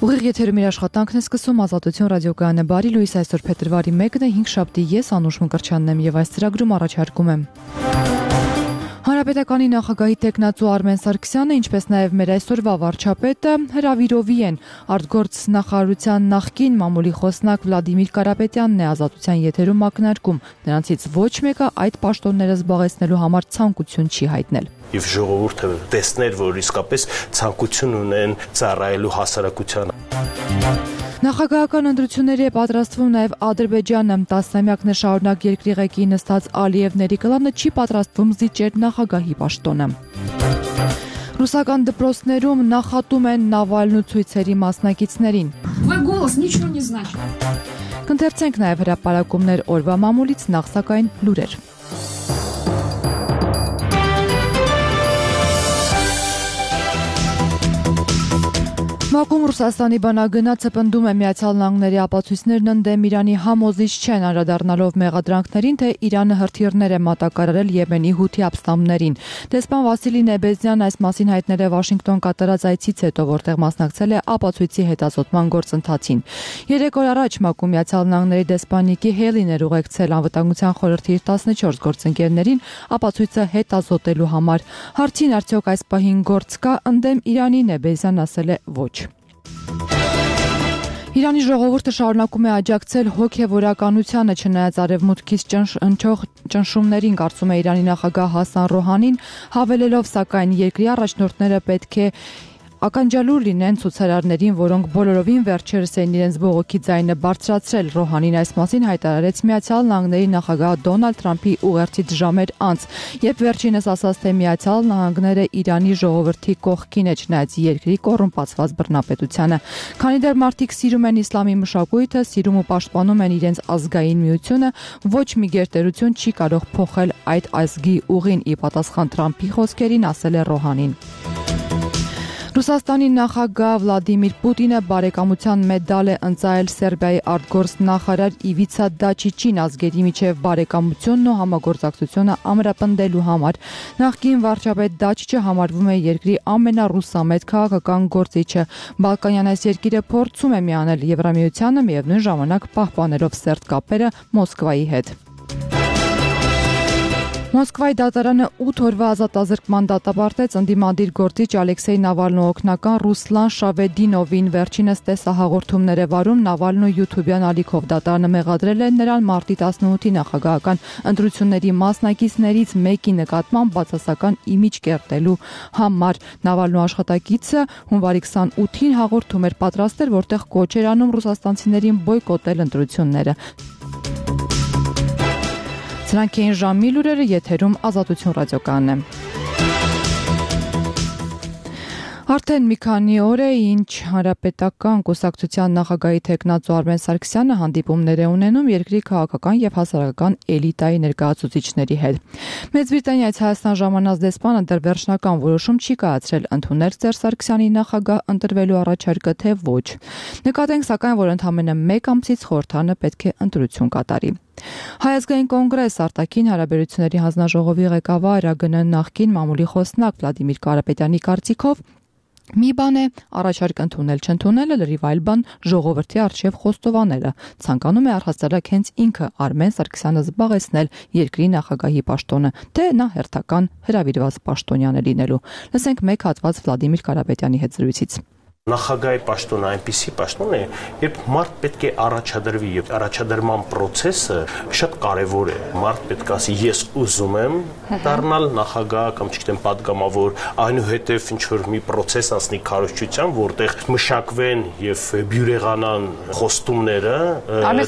Ուղիղ եթերում իր աշխատանքն է սկսում Ազատություն ռադիոկայանը բարի լույս այսօր փետրվարի 1-ն է 5 շաբթի ես Անուշ Մկրտչյանն եմ եւ այս ծրագրում առաջարկում եմ Հանրապետականի նախագահի տեխնացու Արմեն Սարգսյանը, ինչպես նաև մեր այսօրվա վարչապետը հրավիրովի են արտգործ նախարարության նախկին մամուլի խոսնակ Վլադիմիր Կարապետյանն է Ազատության եթերում ակնարկում, նրանցից ոչ մեկը այդ պաշտոնները զբաղեցնելու համար ցանկություն չի հայտնել. Եվ ժողովուրդը տեսներ, որ իսկապես ցանկություն ունեն ծառայելու հասարակությանը. Նախագահական ընտրությունների է պատրաստվում նաև Ադրբեջանը, 10-ամյակներ շարունակ երկրի ղեկի նստած Ալիև Ներիկլանը չի պատրաստվում զիջել նախագահի պաշտոնը. Ռուսական դպրոցներում նախատում են Նավալնու ցույցերի մասնակիցներին. Կընթերցենք նաև հրապարակումներ օրվա մամուլից, նախ սակայն լուրեր. Մակում Ռուսաստանի բանագնացը պնդում է Միացյալ Նահանգների ապացույցներն ընդդեմ Իրանի համոզիչ չեն, անդրադառնալով մեղադրանքներին, թե Իրանը հրթիռներ է մատակարարել Եմենի հութի ապստամբներին. Դեսպան Վասիլի Նեբեզյանն այս մասին հայտնել է Վաշինգտոն կատարած այցից հետո, որտեղ մասնակցել է ապացույցի հետազոտման գործընթացին. 3 օր առաջ Մակում Միացյալ Նահանգների դեսպան Նիկի Հեյլին էր ուղեկցել Անվտանգության խորհրդի 14 գործընկերներին ապացույցը հետազոտելու համար. Հարցին արդյոք այս պահին գործ կա ընդդեմ Իրանի, Նեբեզյանն ասել է ոչ. Իրանի ժողովուրդը շարունակում է աջակցել հոգևորականությանը, չնայած արևմուտքից հնչող ճնշումներին, կարծում է Իրանի նախագահ Հասան Ռոհանին, հավելելով սակայն երկրի առաջնորդները պետք է ականջալուր լինեն ցուցարարներին, որոնք բոլորովին վերջերս են իրենց բողոքի ձայնը բարձրացրել. Ռոհանին այս մասին հայտարարեց Միացյալ Նահանգների նախագահ Դոնալդ Թրամփի ուղերձից ժամեր անց, երբ վերջինս ասաց, թե Միացյալ Նահանգները Իրանի ժողովրդի կողքին է, չնայած երկրի կոռումպացված բռնապետությանը. Քանի դեռ մարդիկ սիրում են իսլամի մշակույթը, սիրում ու պաշտպանում են իրենց ազգային միությունը, ոչ մի գերտերություն չի կարող փոխել այդ ազգի ուղին, ի պատասխան Թրամփի խոսքերին ասել է Ռոհանին. Ռուսաստանի նախագահ Վլադիմիր Պուտինը բարեկամության մեդալ է ընծայել Սերբիայի արտգործ նախարար Իվիցա Դաչիչին ազգերի միջև բարեկամությունն ու համագործակցությունը ամրապնդելու համար. Նախկին վարչապետ Դաչիչը համարվում է երկրի ամենառուսամետ քաղաքական գործիչը. Բալկանյան այս երկիրը փորձում է միանել Եվրամիությանը, միևնույն ժամանակ պահպանելով սերտ կապերը Մոսկվայի հետ. Մոսկվայի դատարանը 8 օրվա ազատազրկման դատապարտեց ընդդիմադիր գործիչ Ալեքսեյ Նավալնու օգնական Ռուսլան Շավեդինովին. Վերջինս տեսահաղորդումներ է վարում Նավալնու յութուբյան ալիքով. Դատարանը մեղադրել է նրան մարտի 18-ի նախագահական ընտրությունների մասնակիցներից մեկի նկատմամբ բացասական իմիջ կերտելու համար. Նավալնու աշխատակիցը հունվարի 28-ին հաղորդում էր պատրաստել, որտեղ կոչ էր անում ռուսաստանցիներին բոյկոտել ընտրությունները. Սրանք էին ժամի լուրերը, եթերում Ազատություն ռադիոկայանն է. Արդեն մի քանի օր է, ինչ Հանրապետական կուսակցության նախագահի տեխնացու Արմեն Սարգսյանը հանդիպումներ է ունենում երկրի քաղաքական եւ հասարակական էլիտայի ներկայացուցիչների հետ. Մեծ Բրիտանիայից Հայաստան ժամանած դեսպանը դեռ վերջնական որոշում չի կայացրել ընդունել Սերժ Սարգսյանի նախագահ ընտրվելու առաջարկը, թե ոչ. Նկատենք սակայն, որ ընդամենը 1 ամսից խորհրդարանը պետք է ընտրություն կատարի. Հայ ազգային կոնգրես արտաքին հարաբերությունների հանձնաժողովի ղեկավար ԱԳՆ նախկին մամուլի խոսնակ Վլադիմիր Կարապետյանի կարծիքով մի բան է առաջարկ ընդունել չընդունելը, լրիվ այլ բան ժողովրդի առջև խոստովանելը. ցանկանում է առհասարակ հենց ինքը Արմեն Սարգսյանը զբաղեցնել երկրի նախագահի պաշտոնը, թե նա հերթական հրավիրված պաշտոնյան է լինելու. Լսենք մեկ հատված Վլադիմիր Կարապետյանի հետ զրույցից. Նախագահի պաշտոնը այնպիսի պաշտոն է, երբ մարդ պետք է առաջադրվի եւ առաջադրման process-ը շատ կարեւոր է. Մարդ պետք է ասի ես ուզում եմ դառնալ նախագահ կամ չգիտեմ падգամավոր, այնուհետեւ ինչ որ մի process անցնի քարոզչության, որտեղ մշակվեն եւ բյուրեղանան խոստումները,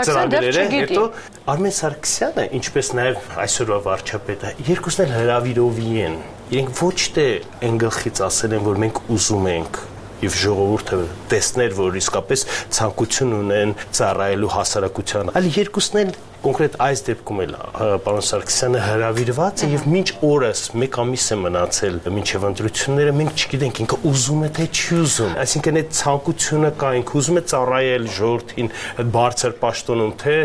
ծրագրերը, հետո Արմեն Սարգսյանը, ինչպես նաեւ այսօրվա վարչապետը, երկուսն էլ հրավիրովի են. իրենք ոչ թե այն գլխից ասել են, որ մենք ուզում ենք եւ ժողովուրդը տեսներ, որ իսկապես ցանկություն ունեն ծառայելու հասարակությանը, այլ երկուսն էլ կոնկրետ այս դեպքում էլ պարոն Սարգսյանը հրավիրված է եւ մինչ օրս 1 ամիս է մնացել մինչեւ ընտրությունները, մենք չգիտենք ինքը ուզում է թե չի ուզում, այսինքն այդ ցանկությունը կա, ինքը ուզում է ծառայել ժողովրդին բարձր պաշտոնում, թե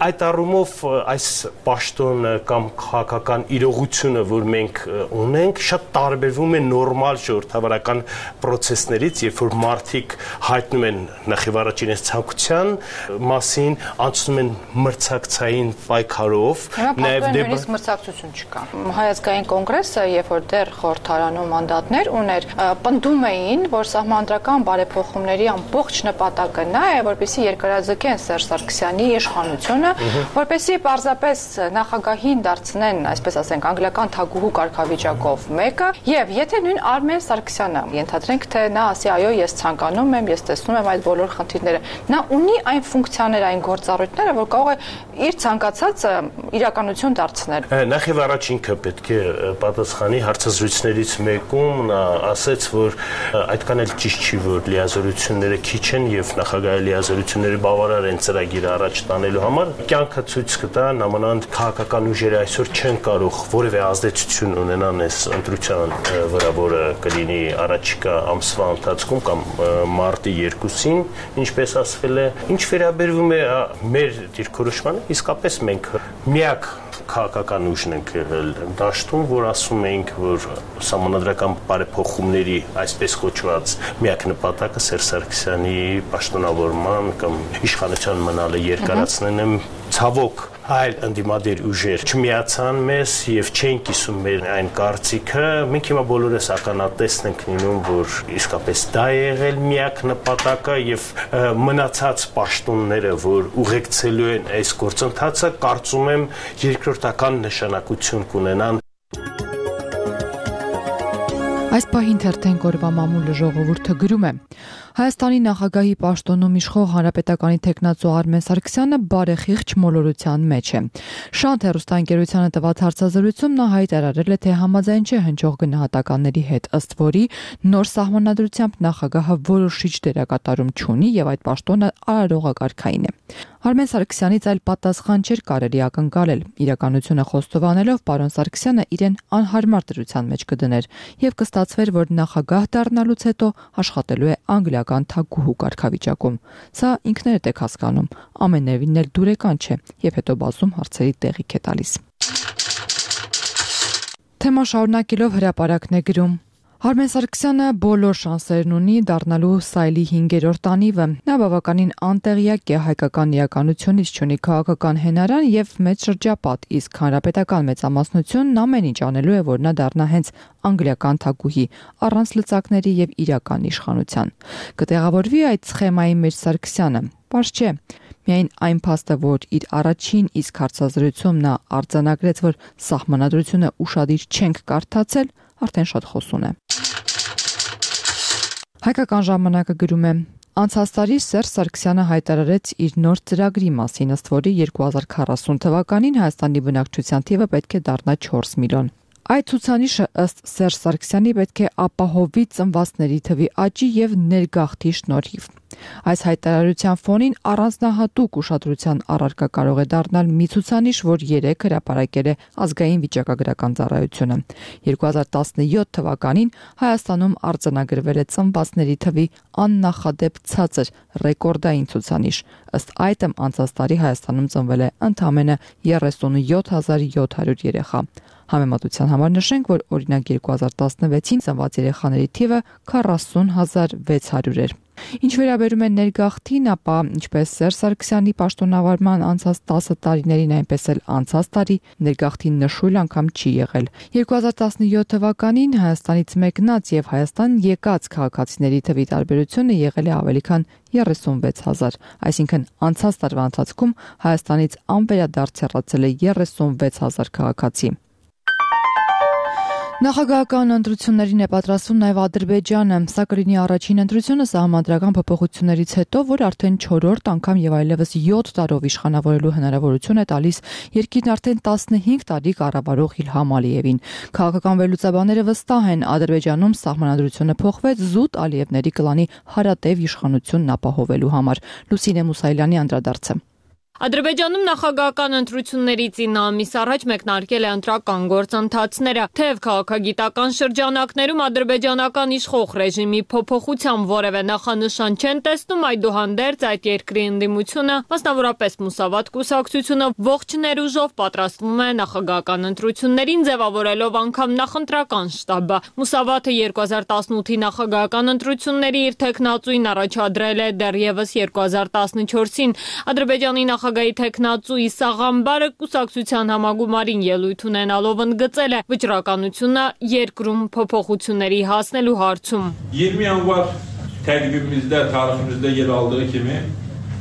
այդ առումով այս պաշտոնը կամ քաղաքական իրողությունը, որ մենք ունենք, շատ տարբերվում է նորմալ ժողովրդավարական process-ներից, երբ որ մարդիկ հայտնում են նախ առաջ իրենց ցանկության մասին, անցնում են մրցակցային պայքարով, նաև նույնիսկ մրցակցություն չկա։ Հայազգային կոնգրեսը, երբ որ դեռ խորհրդարանում մանդատներ ուներ, պնդում էին, որ սահմանադրական բարեփոխումների ամբողջ նպատակը նա է, որպեսզի երկարաձգեն Սերժ Սարգսյանի իշխանությունը, որպեսզի պարզապես նախագահին դարձնեն, այսպես ասենք, անգլիական թագուհու կարգավիճակով մեկը, եւ եթե նույն Արմեն Սարգսյանը ենթադրենք, թե նա ասի այո, ես ցանկանում եմ, ես տեսնում եմ այդ բոլոր խնդիրները, նա ունի այն ֆունկցիաները, այն գործառույթները, որ կարող է իր ցանկացածը իրականություն դարձնել։ Նախ եւ առաջ ինքը պետք է պատասխանի հարցազրույցներից մեկում նա ասաց, որ այդքան էլ ճիշտ չի, որ լիազորությունները քիչ են եւ նախագահի լիազորությունները բավարար են ծրագիրը առաջ տանելու համար։ Կյանքը ցույց կտա, նամանավանդ քաղաքական ուժերը այսօր չեն կարող որևէ ազդեցություն ունենան այս ընտրության վրա, որը կլինի առաջիկա ամսվա ընթացքում կամ մարտի 2-ին, ինչպես ասվել է, ինչ վերաբերվում է մեր դիրքորոշմանը, իսկապես մենք միակ քաղաքական ուժն ենք եղել դաշտում, որ ասում ենք, որ սահմանադրական բարեփոխումների այսպես կոչված միակ նպատակը Սերժ Սարգսյանի պաշտոնավորման կամ իշխանության մնալը երկարացնելն է, ցավոք այլ ընդդիմադիր ուժեր չմիացան մեզ եւ չեն կիսում մեր այն կարծիքը, մենք հիմա բոլորս ականատեսն ենք լինում, որ իսկապես դա է եղել միակ նպատակը եւ մնացած պաշտոնները, որ ուղեկցելու են այս գործընթացը, կարծում եմ երկրորդական նշանակություն կունենան։ Այս պահին թերթենք օրվա մամուլը ժողովուրդը գրում է. Հայաստանի նախագահի պաշտոնում իշխող հանրապետականի տեխնացու Արմեն Սարգսյանը բարեխիղճ մոլորության մեջ է։ Շանթ հեռուստաընկերությանը տված հարցազրույցում նա հայտարարել է, թե համաձայն չէ հնչող գնահատականների հետ, ըստ որի նոր սահմանադրությամբ նախագահը որոշիչ դերակատարում չունի եւ այդ պաշտոնը արարողակարգային է։ Արմեն Սարգսյանից այլ պատասխան չէր կարելի ակնկալել։ Իրականությունը խոստովանելով պարոն Սարգսյանը իրեն անհարմար դրության մեջ կդներ եւ կստացվեր, որ նախագահ դառնալուց հետո աշխատելու է անգլիական թագուհու կարգավիճակում։ Սա ինքներդ եք հասկանում, ամենևին էլ դուրեկան չէ եւ հետո բացում հարցերի տեղիք է տալիս։ Թեման շարունակելով հրապարակն է գրում. Արմեն Սարգսյանը բոլոր շանսերն ունի դառնալու սայլի 5-րդ անիվը։ Նա բավականին անտեղյակ է հայկական իրականությունից, չունի քաղաքական հենարան եւ մեծ շրջապատ, իսկ հանրապետական մեծամասնությունն ամեն ինչ անելու է, որ նա դառնա հենց անգլիական թագուհի, առանց լծակների եւ իրական իշխանության։ Կտեղավորվի այդ սխեմայի մեջ Սարգսյանը։ Պարզ չէ։ Միայն այն փաստը, որ իր առաջին իսկ հարցազրույցում նա արձանագրեց, որ սահմանադրությունը ուշադիր չենք կարդացել, արդեն շատ խոսուն է։ Հայկական ժամանակը գրում է. Անցած տարի Սերժ Սարգսյանը հայտարարեց իր նոր ծրագրի մասին, ըստ որի 2040 թվականին Հայաստանի բնակչության թիվը պետք է դառնա 4 միլիոն։ Այդ ցուցանիշը ըստ Սերժ Սարգսյանի պետք է ապահովի ծնվածների թվի աճի եւ ներգաղթի շնորհիվ։ Այս հայտարարության ֆոնին առանձնահատուկ ուշադրության առարկա կարող է դառնալ մի ցուցանիշ, որ 3 հրապարակել է ազգային վիճակագրական ծառայությունը։ 2017 թվականին Հայաստանում արձանագրվել է ծնվածների թվի աննախադեպ ցածր ռեկորդային ցուցանիշ։ Ըստ այդմ անցած տարի Հայաստանում ծնվել է ընդամենը 37700 երեխա։ Համեմատության համար նշենք, որ օրինակ 2016-ին ծնված երեխաների թիվը 40600 էր։ Ինչ վերաբերում է ներգաղթին, ապա ինչպես Սերժ Սարգսյանի պաշտոնավարման անցած 10 տարիներին, այնպես էլ անցած տարի ներգաղթին նշույլ անգամ չի եղել։ 2017 թվականին Հայաստանից մեկնած եւ Հայաստան եկած քաղաքացիների թվի տարբերությունը եղել է ավելի քան 36000, այսինքն անցած տարվա ընթացքում Հայաստանից անվերադարձ հեռացել է 36000 քաղաքացի։ Նախագահական ընտրություններին է պատրաստվում նաև Ադրբեջանը, սա կլինի առաջին ընտրությունը սահմանադրական փոփոխություններից հետո, որ արդեն 4-րդ անգամ եւ այլևս 7 տարով իշխանավորելու հնարավորություն է տալիս երկիրն արդեն 15 տարի կառավարող Իլհամ Ալիևին։ Քաղաքական վերլուծաբանները վստահ են, Ադրբեջանում սահմանադրությունը փոխվեց զուտ Ալիևների կլանի հարատև իշխանությունն ապահովելու համար։ Լուսինե Մուսայելյանի անդրադարձը։ Ադրբեջանում նախագահական ընտրություններից 9 ամիս առաջ մեկնարկել է ընտրական գործընթացները, թեև քաղաքագիտական շրջանակներում ադրբեջանական իշխող ռեժիմի փոփոխության որևէ նախանշան չեն տեսնում, այդուհանդերձ այդ երկրի ընդդիմությունը, մասնավորապես Մուսավատ կուսակցությունը, ողջ ներուժով պատրաստվում է նախագահական ընտրություններին, ձևավորելով անգամ նախընտրական շտաբը։ Մուսավաթը 2018-ի նախագահական ընտրությունների իր թեկնածուին առաջադրել է դեռևս 2014-ին։ Ադրբեջանի նախագահի թեկնածու Իսա Ղամբարը կուսակցության համագումարին ելույթ ունենալով ընդգծել է վճռականությունը երկրում փոփոխությունների հասնելու հարցում։ 20 yanvar təqvimimizdə, tariximizdə yer aldığı kimi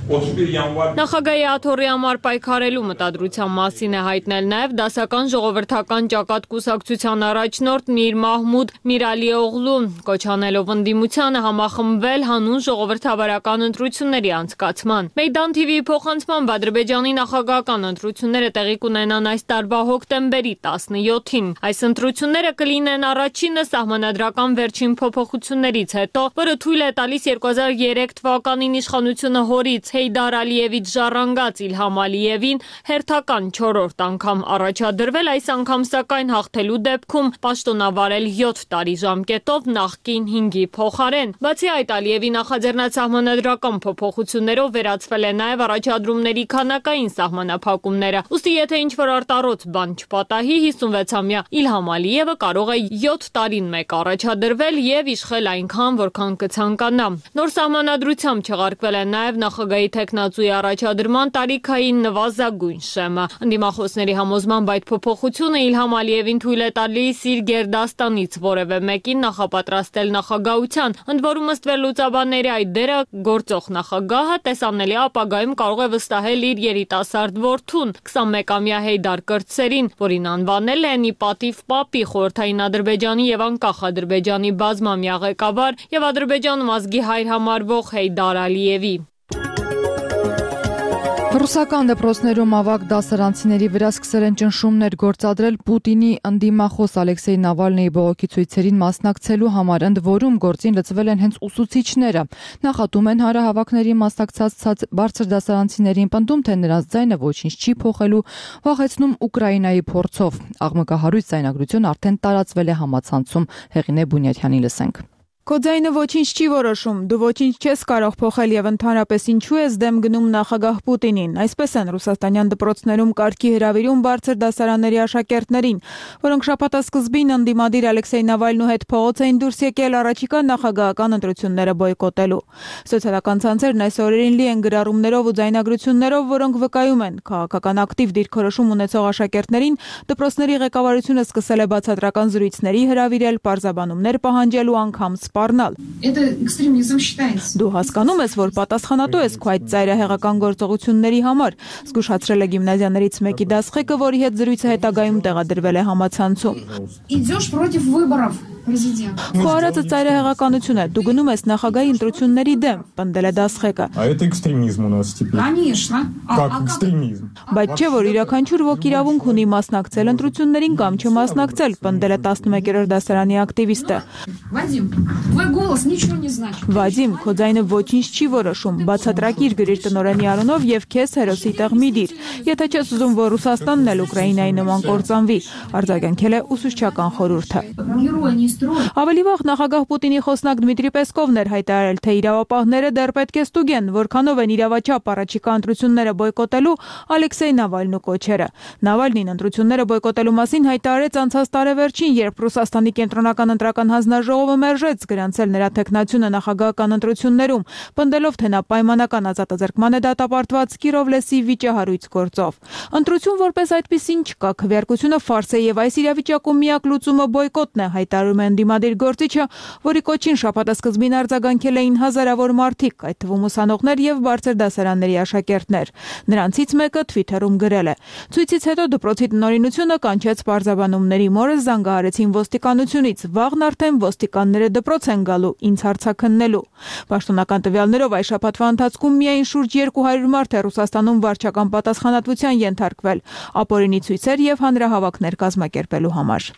31 yanvar Նախագահի աթոռի համար պայքարելու մտադրության մասին է հայտնել նաև դասական ժողովրդական ճակատ կուսակցության առաջնորդ Միր Մահմուդ Միրալիօղլուն, կոչանելով ընդդիմությանը համախմբվել հանուն ժողովրդավարական ընտրությունների անցկացման։ Մեյդան TV-ի փոխանցմամբ Ադրբեջանի նախագահական ընտրությունները տեղի կունենան այս տարվա հոկտեմբերի 17-ին։ Այս ընտրությունները կլինեն առաջինը սահմանադրական վերջին փոփոխություններից հետո, որը թույլ է տալիս 2003 թվականին իշխանությունը հորից Հեյդար Ալիևից ժառանգած Իլհամ Ալիևին հերթական 4-րդ անգամ առաջադրվել, այս անգամ սակայն հաղթելու դեպքում պաշտոնավարել 7 տարի ժամկետով նախկին 5-ի փոխարեն։ Բացի այդ, Ալիևի նախաձեռնած սահմանադրական փոփոխություններով վերացվել է նաև առաջադրումների քանակային սահմանափակումները։ Ուստի եթե ինչ-որ արտառոց բան չպատահի, 56-ամյա Իլհամ Ալիևը կարող է 7 տարին մեկ առաջադրվել եւ իշխել այնքան, որքան կցանկանա։ Նոր սահմանադրությամբ չեղարկվել է նաև նախագահի թեկնածուի առաջադրման տարիքային նվազագույն շեմը։ Ընդդիմախոսների համոզմամբ այդ փոփոխությունը Իլհամ Ալիևին թույլ է տալիս իր գերդաստանից որևէ մեկին նախապատրաստել նախագահության, ընդ որում ըստ վերլուծաբանների այդ դերը գործող նախագահը տեսանելի ապագայում կարող է վստահել իր երիտասարդ որդուն 21-ամյա Հեյդար Կրտսերին, որին անվանել են ի պատիվ Պապի խորհրդային Ադրբեջանի եւ անկախ Ադրբեջանի բազմամյա ղեկավար եւ Ադրբեջանում ազգի հայր համարվող Հեյդար Ալիևի։ Ռուսական դպրոցներում ավագ դասարանցիների վրա սկսել են ճնշումներ գործադրել Պուտինի ընդդիմախոս Ալեքսեյ Նավալնիի բողոքի ցույցերին մասնակցելու համար, ընդ որում գործին լծվել են հենց ուսուցիչները։ Նախատում են հանրահավաքների մասնակցած բարձր դասարանցիներին, պնդում, թե նրանց ձայնը ոչինչ չի փոխելու, վախեցնում Ուկրաինայի փորձով։ Աղմկահարույց ձայնագրություն արդեն տարածվել է համացանցում։ Հեղինե Բունյաթյանի լսենք։ Քո ձայնը ոչինչ չի որոշում, դու ոչինչ չես կարող փոխել եւ ընդհանրապես ինչու ես դեմ գնում նախագահ Պուտինին։ Այսպես են ռուսաստանյան դպրոցներում կարգի հրավիրում բարձր դասարանների աշակերտներին, որոնք շաբաթասկզբին ընդդիմադիր Ալեքսեյ Նավալնու հետ փողոց էին դուրս եկել առաջիկա նախագահական ընտրությունները բոյկոտելու։ Սոցիալական ցանցերն այս օրերին լի են գրառումներով ու ձայնագրություններով, որոնք վկայում են քաղաքական ակտիվ դիրքորոշում ունեցող աշակերտներին դպրոցների ղեկավարությունը սկսել է բացատրական զրույցների հրավիրել, պարզաբանումներ պահանջելու անգամ Դու հասկանում ես, որ պատասխանատու ես քո այդ ծայրահեղական գործողությունների համար, զգուշացրել է գիմնազիաներից մեկի դասղեկը, որի հետ զրույցը հետագայում տեղադրվել է համացանցում։ Քո արածը ծայրահեղականություն է, դու գնում ես նախագահի ընտրությունների դեմ, պնդել է դասղեկը։ Բայց չէ, որ յուրաքանչյուր ոք իրավունք ունի մասնակցել ընտրություններին կամ չմասնակցել, պնդել է 11-րդ դասարանի ակտիվիստը։ Վադիմ, քո ձայնը ոչինչ չի որոշում, բացատրակիր գրիր տնօրենի անունով եւ քեզ հերոսի տեղ մի դիր։ Եթե չես ուզում, որ Ռուսաստանն էլ Ուկրաինայի նման կործանվի, արձագանքել է ուսուցչական խորհուրդը։ Ավելի վաղ նախագահ Պուտինի խոսնակ Դմիտրի Պեսկովն էր հայտարարել, թե իրավապահները դեռ պետք է ստուգեն, որքանով են իրավաչափ առաջիկա ընտրությունները բոյկոտելու Ալեքսեյ Նավալնու կոչերը։ Նավալնին ընտրությունները բոյկոտելու մասին հայտարարեց անցած տարեվերջին, երբ Ռուսաստանի կենտրոնական ընտրական հանձնաժողովը մերժեց գրանցել նրա թեկնածությունը նախագահական ընտրություններում, պնդելով, թե նա պայմանական ազատազրկման է դատապարտված Կիրովլեսի վիճահարույց գործով։ Ընտրություն որպես այդպիսին չկա, քվեարկությունը ֆարս է եւ այս իրավիճակում միակ լուծումը բոյկոտն է, հայտարարում է ընդդիմադիր գործիչը, որի կոչին շաբաթասկզբին արձագանքել էին հազարավոր մարդիկ, այդ թվում ուսանողներ եւ բարձր դասարանների աշակերտներ։ Նրանցից մեկը Twitter-ում գրել է. Ցույցից հետո դպրոցի տնօրինությունը կանչեց պարզաբանումների մորը զանգահարեցին ոստիկանությունից, վաղն արդեն ոստիկանները դպրոց են գալու ինձ հարցաքննելու։ Պաշտոնական տվյալներով այս շաբաթվա ընթացքում միայն շուրջ 200 մարդ է Ռուսաստանում վարչական պատասխանատվության ենթարկվել, ապօրինի ցույցեր եւ հանրահավաքներ կազմակերպելու համար։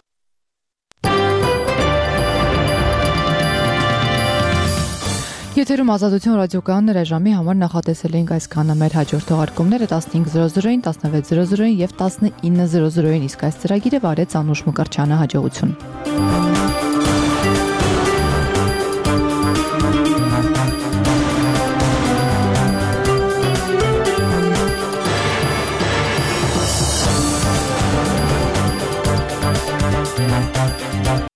Եթերում Ազատություն ռադիոկայանն ժամի համար նախատեսել էինք այսքանը, մեր հաջորդ թողարկումները 15:00-ին, 16:00-ին եւ 19:00-ին, իսկ այս ծրագիրը վարեց Անուշ Մկրտչյանը, հաջողություն։